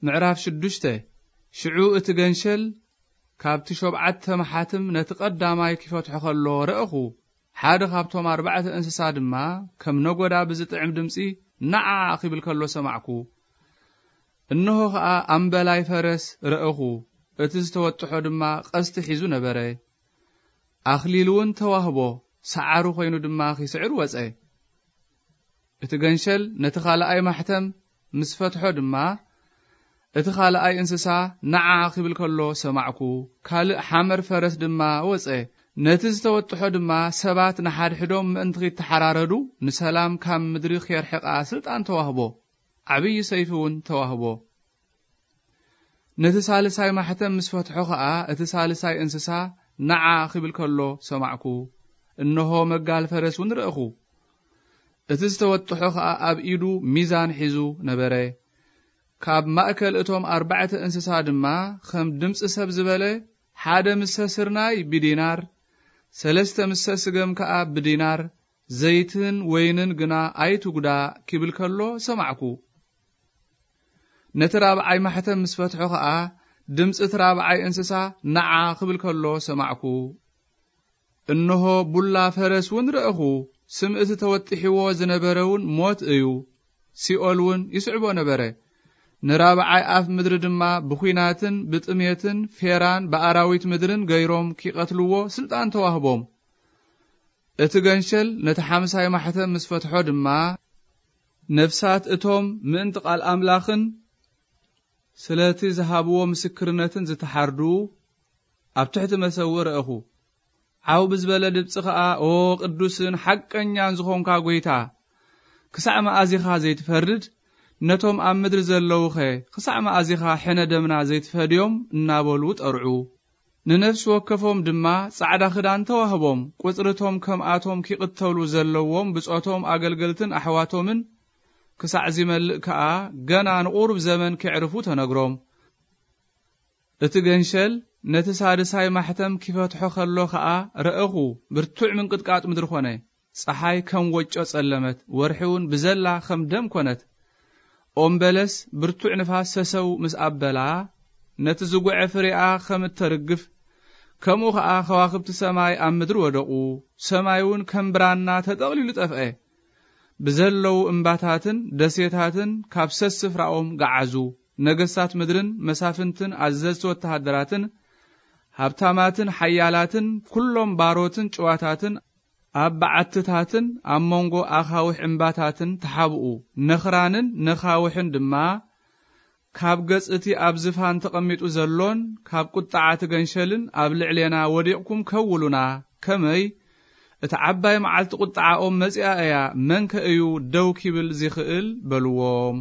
ምዕራፍ ሽዱሽተ። ሽዑ እቲ ገንሸል ካብቲ ሸብዓተ ማሓትም ነቲ ቀዳማይ ኪፈትሖ ከሎ ረእኹ። ሓደ ካብቶም ኣርባዕተ እንስሳ ድማ ከም ነጎዳ ብዝጥዕም ድምጺ፣ "ንዓ!" ኪብል ከሎ ሰማዕኩ። እንሆ ኸኣ ኣምበላይ ፈረስ ረእኹ። እቲ ዝተወጥሖ ድማ ቀስቲ ሒዙ ነበረ። ኣኽሊል እውን ተዋህቦ፣ ሰዓሩ ኾይኑ ድማ ኺስዕር ወጸ። እቲ ገንሸል ነቲ ኻልኣይ ማሕተም ምስ ፈትሖ ድማ፣ እቲ ኻልኣይ እንስሳ ንዓ ኺብል ከሎ ሰማዕኩ። ካልእ ሓመር ፈረስ ድማ ወጸ። ነቲ ዝተወጥሖ ድማ ሰባት ንሓድሕዶም ምእንቲ ኺተሓራረዱ፣ ንሰላም ካብ ምድሪ ኼርሕቓ ስልጣን ተዋህቦ። ዓብዪ ሰይፊ እውን ተዋህቦ። ነቲ ሳልሳይ ማሕተም ምስ ፈትሖ ኸኣ፣ እቲ ሳልሳይ እንስሳ ንዓ ኺብል ከሎ ሰማዕኩ። እንሆ መጋል ፈረስ እውን ረእኹ። እቲ ዝተወጥሖ ኸኣ ኣብ ኢዱ ሚዛን ሒዙ ነበረ። ካብ ማእከል እቶም ኣርባዕተ እንስሳ ድማ ከም ድምጺ ሰብ ዝበለ፣ ሓደ ምሰ ስርናይ ብዲናር፣ ሰለስተ ምሰ ስገም ከኣ ብዲናር፣ ዘይትን ወይንን ግና ኣይትጉዳእ ኪብል ከሎ ሰማዕኩ። ነቲ ራብዓይ ማሕተም ምስ ፈትሖ ኸኣ፣ ድምጺ እቲ ራብዓይ እንስሳ ንዓ ኪብል ከሎ ሰማዕኩ። እንሆ ቡላ ፈረስ እውን ረእኹ። ስም እቲ ተወጢሕዎ ዝነበረ እውን ሞት እዩ። ሲኦል እውን ይስዕቦ ነበረ። ንራብዓይ ኣፍ ምድሪ ድማ ብኲናትን ብጥሜትን ፌራን ብኣራዊት ምድርን ገይሮም ኪቐትልዎ ስልጣን ተዋህቦም። እቲ ገንሸል ነቲ ሓምሳይ ማሕተም ምስ ፈትሖ ድማ፣ ነፍሳት እቶም ምእንቲ ቃል ኣምላኽን ስለቲ ዝሃብዎ ምስክርነትን ዝተሓርዱ ኣብ ትሕቲ መሰውእ ረእኹ። ዓው ብዝበለ ድምጺ ኸኣ፣ "ኦ ቅዱስን ሓቀኛን ዝኾንካ ጐይታ፣ ክሳዕ መኣዚኻ ዘይትፈርድ? ነቶም ኣብ ምድሪ ዘለዉኸ ክሳዕ መኣዚኻ ሕነ ደምና ዘይትፈድዮም?" እናበሉ ጠርዑ። ንነፍሲ ወከፎም ድማ ጻዕዳ ክዳን ተዋህቦም። ቁጽርቶም ከምኣቶም ኪቕተሉ ዘለዎም ብጾቶም ኣገልገልትን ኣሕዋቶምን ክሳዕ ዚመልእ ከኣ፣ ገና ንቑሩብ ዘመን ኬዕርፉ ተነግሮም። እቲ ገንሸል ነቲ ሳድሳይ ማሕተም ኪፈትሖ ኸሎ ኸኣ ረእኹ፣ ብርቱዕ ምንቅጥቃጥ ምድሪ ኾነ። ጸሓይ ከም ወጮ ጸለመት፣ ወርሒ እውን ብዘላ ከም ደም ኮነት። ኦም በለስ ብርቱዕ ንፋስ ሰሰው ምስ ኣበላ፣ ነቲ ዝጉዐ ፍሬኣ ከም እተርግፍ፣ ከምኡ ኸኣ ከዋኽብቲ ሰማይ ኣብ ምድሪ ወደቑ። ሰማይ እውን ከም ብራና ተጠቕሊሉ ጠፍአ። ብዘለዉ እምባታትን ደሴታትን ካብ ሰስፍራኦም ገዓዙ። ነገስታት ምድርን መሳፍንትን ኣዘዝቲ ወተሃደራትን ሃብታማትን ሓያላትን ኩሎም ባሮትን ጭዋታትን ኣብ በዓትታትን ኣብ መንጎ ኣኻውሕ እምባታትን ተሓብኡ። ነኽራንን ነኻውሕን ድማ ካብ ገጽ እቲ ኣብ ዝፋን ተቐሚጡ ዘሎን ካብ ቁጥዓ እቲ ገንሸልን ኣብ ልዕሌና ወዲቕኩም ከውሉና፣ ከመይ እቲ ዓባይ መዓልቲ ቁጥዓኦም መጺኣ እያ፣ መንከ እዩ ደው ኪብል ዚኽእል? በልዎም።